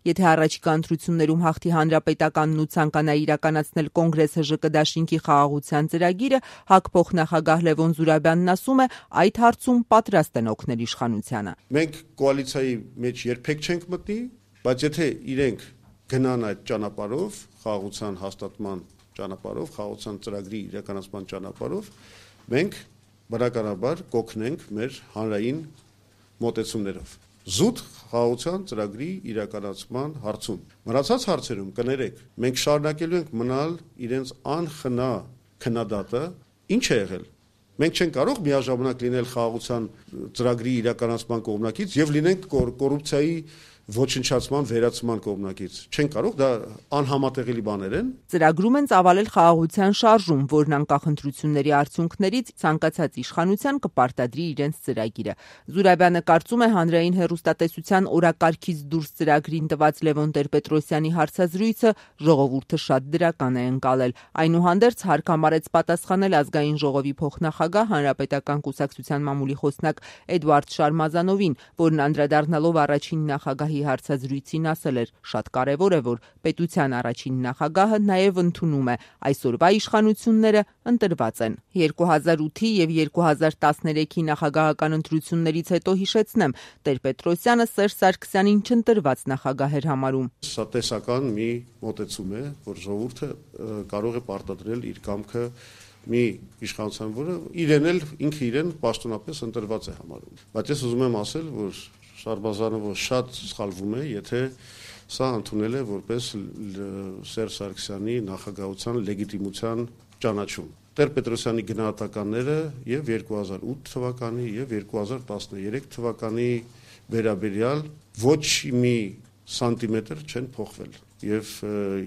Եթե առաջիկա ընտրություններում հաղթի Հանրապետականն ու ցանկանա իրականացնել Կոնգրես ՀԺԿ դաշինքի խաղաղության ծրագիրը, ՀԱԿ փոխնախագահ Լևոն Զուրաբյանն ասում է, այդ հարցում պատրաստ են օգնել իշխանությանը։ Մենք կոալիցիայի մեջ երբեք չենք մտնի, բայց եթե իրենք գնան այդ ճանապարհով, խաղաղության հաստատման ճանապարհով, խաղաղության ծրագրի իրականացման ճանապարհով, մենք բնականաբար կօգնենք մեր հանրային մոտեցումներով։ Զուտ խաղաղության ծրագրի իրականացման հարցում։ Մնացած հարցերում կներեք, մենք շարունակելու ենք մնալ իրենց անխնա քննադատը, ինչ է եղել։ Մենք չենք կարող միաժամանակ լինել խաղաղության ծրագրի իրականացման կողմնակից եւ լինենք կոռուպցիայի ոչնչացման վերացման կողմնակից։ Չեն կարող, դա անհամատեղելի բաներ են։ Ծրագրում են ծավալել խաղաղության շարժում, որն անկախ ընտրությունների արդյունքներից ցանկացած իշխանության կպարտադրի իրենց ծրագիրը։ Զուրաբյանը կարծում է հանրային հեռուստատեսության օրակարգից դուրս ծրագրին տված Լևոն Տեր-Պետրոսյանի հարցազրույցը ժողովուրդը շատ դրական է ընկալել։ Այնուհանդերձ հարկ համարեց պատասխանել ազգային ժողովի փոխնախագահ Հանրապետական կուսակցության մամուլի խոսնակ Էդուարդ Շարմազանովին, որն անդրադառնալով առաջին նախագահի հարցազրույցին ասել էր. շատ կարևոր է, որ պետության առաջին նախագահը նաև ընդունում է այսօրվա իշխանությունները ընտրված են։ 2008-ի եւ 2013-ի նախագահական ընտրություններից հետո հիշեցնեմ, Տեր-Պետրոսյանը Սերժ Սարգսյանին չընտրված նախագահ էր համարում։ Սա տեսական մի մոտեցում է, որ ժողովուրդը կարող է պարտադրել իր կամքը մի իշխանության, որը իրեն էլ ինքը իրեն պաշտոնապես ընտրված է համարում։ Բայց ես ուզում եմ ասել, որ Շարմազանովը շատ սխալվում է, եթե սա ընդունել է որպես Սերժ Սարգսյանի նախագահության լեգիտիմության ճանաչում։ Տեր-Պետրոսյանի գնահատականները եւ 2008 թվականի եւ 2013 թվականի վերաբերյալ ոչ մի սանտիմետր չեն փոխվել։ Եվ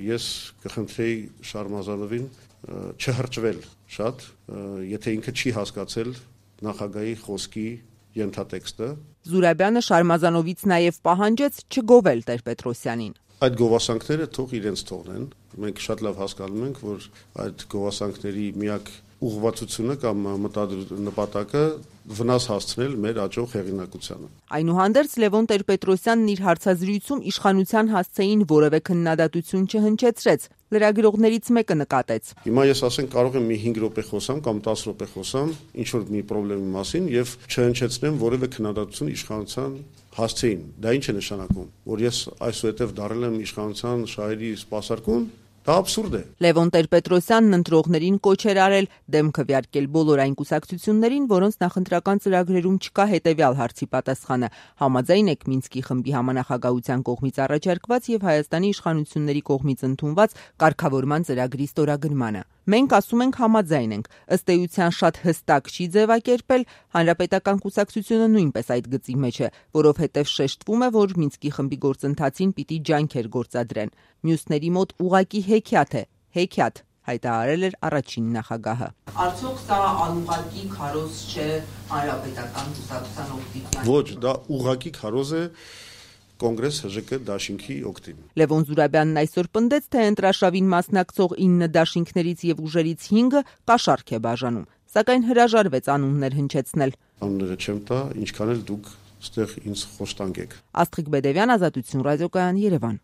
ես կխնդրեի Շարմազանովին չհրճվել շատ, եթե ինքը չի հասկացել նախագահի խոսքի ենթատեքստը։ Զուրաբյանը Շարմազանովից նաև պահանջեց չգովել Տեր-Պետրոսյանին։ Այդ գովասանքները թող իրենց թողնեն։ Մենք շատ լավ հասկանում ենք, որ այդ գովասանքների միակ ուղղվածությունը կամ նպատակը վնաս հասցնել մեր աճող հեղինակությանը։ Այնուհանդերձ Լևոն Տեր-Պետրոսյանն իր հարցազրույցում իշխանության հասցեին որևէ քննադատություն չհնչեցրեց։ Լրագրողներից մեկը նկատեց. Հիմա ես ասենք կարող եմ մի 5 րոպե խոսամ կամ 10 րոպե խոսամ ինչ որ մի խնդրի մասին եւ չհնչեցնեմ որևէ քննադատություն իշխանության հասցեին։ Դա ինչ է նշանակում, որ ես այսուհետև դարել եմ իշխանության շահերի սպասարկուն։ Դա աբսուրդ է։ Լևոն Տեր-Պետրոսյանն ընտրողներին կոչ էր արել դեմ քվեարկել բոլոր այն կուսակցություններին, որոնց նախընտրական ծրագրերում չկա հետևյալ հարցի պատասխանը. համաձայն եք Մինսկի խմբի համանախագահության կողմից առաջարկված եւ Հայաստանի իշխանությունների կողմից ընդունված կարգավորման ծրագրի ստորագրմանը։ Մենք ասում ենք համաձայն ենք, ըստ էության շատ հստակ չի ձևակերպել, Հանրապետական կուսակցությունը նույնպես այդ գծի մեջ է, որովհետև շեշտվում է, որ Մինսկի խմբի գործընթացին պիտի ջանքեր գործադրեն։ Մյուսների մոտ ուղղակի հեքիաթ է, հեքիաթ, հայտարարել էր առաջին նախագահը։ Արդյոք սա անուղղակի քարոզ չէ Հանրապետական կուսակցության օգտին։ Ոչ, դա ուղղակի քարոզ է Կոնգրես ՀԺԿ դաշինքի օգտին։ Լևոն Զուրաբյանն այսօր պնդեց, թե ընտրաշավին մասնակցող 9 դաշինքներից եւ ուժերից 5-ը կաշառք է բաժանում, սակայն հրաժարվեց անուններ հնչեցնել։ Անունները չեմ տա, ինչքան էլ դուք ստեղ ինձ խոստանգեք։ Աստղիկ Բեդևյան, Ազատություն ռադիոկայան, Երևան։